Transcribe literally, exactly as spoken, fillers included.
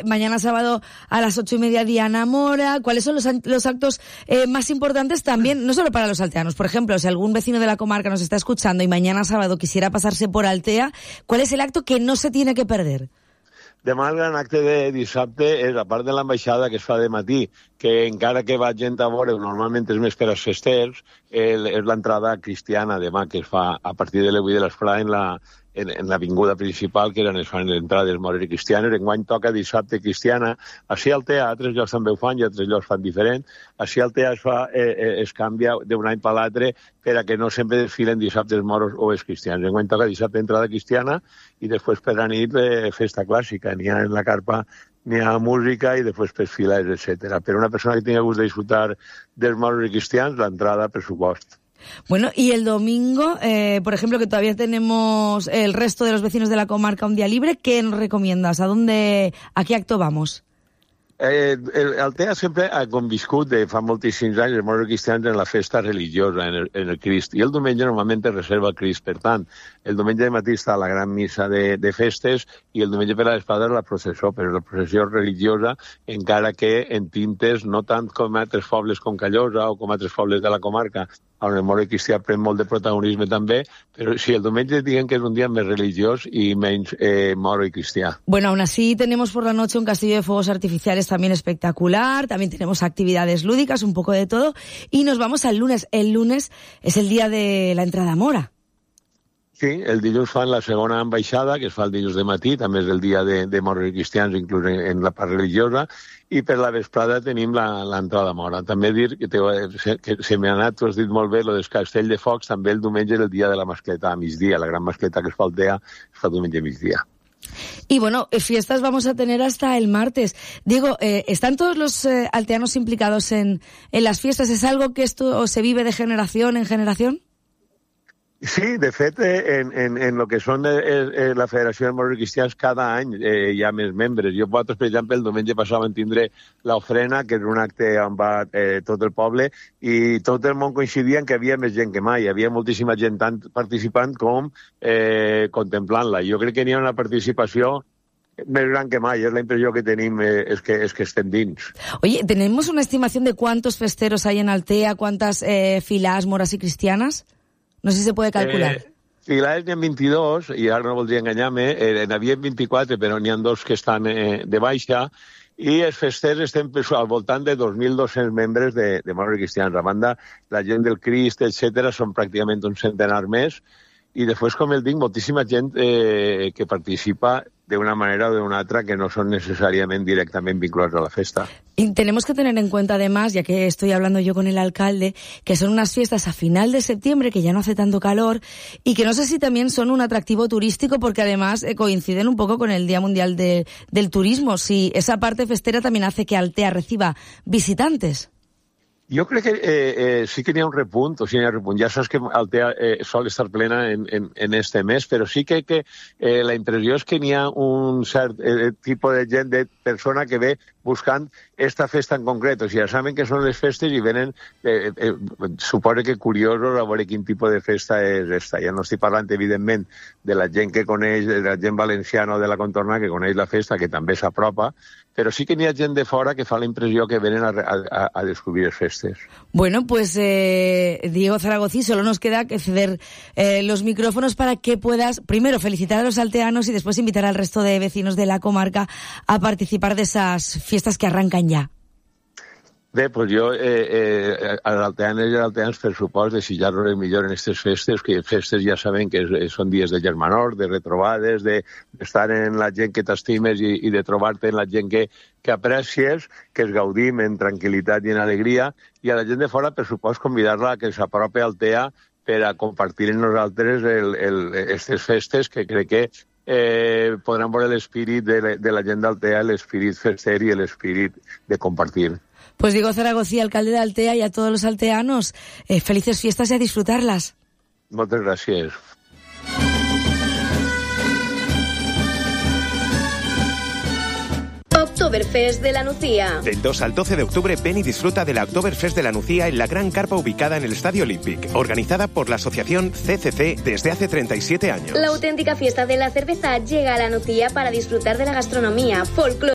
Mañana sábado a las ocho y media Diana Mora. ¿Cuáles son los, los actos eh, más importantes también, no solo para los alteanos? Por ejemplo, si algún vecino de la comarca nos está escuchando y mañana sábado quisiera pasarse por Altea, ¿cuál es el acto que no se tiene que perder? Demà el gran acte de dissabte és, a part de l'ambaixada que es fa de matí, que encara que va gent a veure, normalment és més per als festers, el, és l'entrada cristiana demà, que es fa a partir de les vuit de l'esprà en la en, en l'avinguda principal, que eren es fan entrades mores i cristianes. Enguany toca dissabte cristiana. Així al Altea, a altres llocs també ho fan i a altres llocs fan diferent. Així al Altea es, fa, eh, es canvia d'un any per l'altre per a que no sempre desfilen dissabtes moros o els cristians. Enguany toca dissabte entrada cristiana i després per la nit eh, festa clàssica. N'hi ha en la carpa, n'hi ha música i després per files, etcètera. Per una persona que tingui gust de disfrutar dels moros i cristians, l'entrada, per supost. Bueno, y el domingo, eh, por ejemplo, que todavía tenemos el resto de los vecinos de la comarca un día libre, ¿qué nos recomiendas? ¿A dónde, a qué acto vamos? Eh, el Altea sempre ha conviscut de fa moltíssims anys els moros cristians en la festa religiosa, en el, en el Crist, i el diumenge normalment es reserva el Crist. Per tant, el diumenge de matí està la gran missa de, de festes i el diumenge per a l'espada la processó, però la processió religiosa, encara que en tintes no tant com a altres pobles com Callosa o com a altres pobles de la comarca, on el moro cristià pren molt de protagonisme també, però sí, el diumenge diguem que és un dia més religiós i menys eh, moro y cristià. Bueno, aún así tenemos por la noche un castillo de fuegos artificiales también espectacular, también tenemos actividades lúdicas, un poco de todo, y nos vamos al lunes. El lunes es el día de la entrada a Mora. Sí, el dilluns fan la segona ambaixada, que es fa el dilluns de matí, també és el dia de, de moros i cristians, inclús en, en la part religiosa, i per la vesprada tenim l'entrada a Mora. També dir que, te, que se m'ha anat, tu has dit molt bé, lo del castell de focs, també el diumenge és el dia de la mascleta a migdia, la gran mascleta que es fa al Altea, es fa el diumenge a migdia. Y bueno, fiestas vamos a tener hasta el martes. Diego, eh, ¿están todos los eh, alteanos implicados en, en las fiestas? ¿Es algo que esto se vive de generación en generación? Sí, de fet, en, en, en lo que són eh, eh, la Federació de Moros i Cristians, cada any eh, hi ha més membres. Jo, vosaltres, per exemple, el diumenge passat vam tindre l'ofrena, que és un acte on va eh, tot el poble, i tot el món coincidia en que hi havia més gent que mai. Hi havia moltíssima gent tant participant com eh, contemplant-la. Jo crec que n'hi ha una participació més gran que mai, és la impressió que tenim, eh, és, que, és que estem dins. Oye, ¿tenemos una estimación de cuántos festeros hay en Altea, cuántas eh, filas moras y cristianas? No sé si se puede calcular. Eh, filades n'hi ha vint-i-dos, i ara no voldria enganyar-me, eh, n'hi havia vint-i-quatre, però n'hi ha dos que estan eh, de baixa, i els festers estem al voltant de dos mil dos-cents membres de, de moros i cristians. A banda, la gent del Crist, etcètera, són pràcticament un centenar més, i després, com el dic, moltíssima gent eh, que participa d'una manera o d'una altra que no son necesariamente directamente vinculados a la festa. Y tenemos que tener en cuenta además, ya que estoy hablando yo con el alcalde, que son unas fiestas a final de septiembre, que ya no hace tanto calor, y que no sé si también son un atractivo turístico, porque además eh, coinciden un poco con el Día Mundial de, del Turismo. Si esa parte festera también hace que Altea reciba visitantes. Jo crec que eh, eh, sí que n'hi ha un repunt, o sigui, n'hi ha un repunt. Ja saps que Altea eh, sol estar plena en, en, en este mes, però sí que, que eh, la impressió és que n'hi ha un cert eh, tipus de gent, de persona que ve buscant esta festa en concret. O sigui, ja saben que són les festes i venen, eh, eh, suposo que curiosos a veure quin tipus de festa és esta. Ja no estic parlant, evidentment, de la gent que coneix, de la gent valenciana o de la contorna que coneix la festa, que també s'apropa, pero sí que n'hi ha gent de fora que fa la impressió que venen a, a, a descobrir les festes. Bueno, pues eh, Diego Zaragozí, solo nos queda que ceder eh, los micrófonos para que puedas, primero, felicitar a los alteanos y después invitar al resto de vecinos de la comarca a participar de esas fiestas que arrancan ya. Bé, doncs jo, eh, eh, als alteanes i als alteans, per supost, desitjar-los el millor en aquestes festes, que festes ja sabem que són dies de germanor, de retrobades, d'estar de, en la gent que t'estimes i, i de trobar-te en la gent que, que aprecies, que es gaudim en tranquil·litat i en alegria, i a la gent de fora, per supost, convidar-la a que s'apropi a Altea per a compartir amb nosaltres aquestes festes, que crec que eh, podran veure l'espírit de, de la gent d'Altea, l'espírit fester i l'espírit de compartir. Pues Diego Zaragozí, alcalde de Altea, y a todos los alteanos, eh, felices fiestas y a disfrutarlas. Muchas gracias. Oktoberfest de la Nucía. Del dos al doce de octubre, ven y disfruta de la Oktoberfest de la Nucía en la gran carpa ubicada en el Estadio Olympic, organizada por la asociación C C C desde hace treinta y siete años. La auténtica fiesta de la cerveza llega a la Nucía para disfrutar de la gastronomía, folclore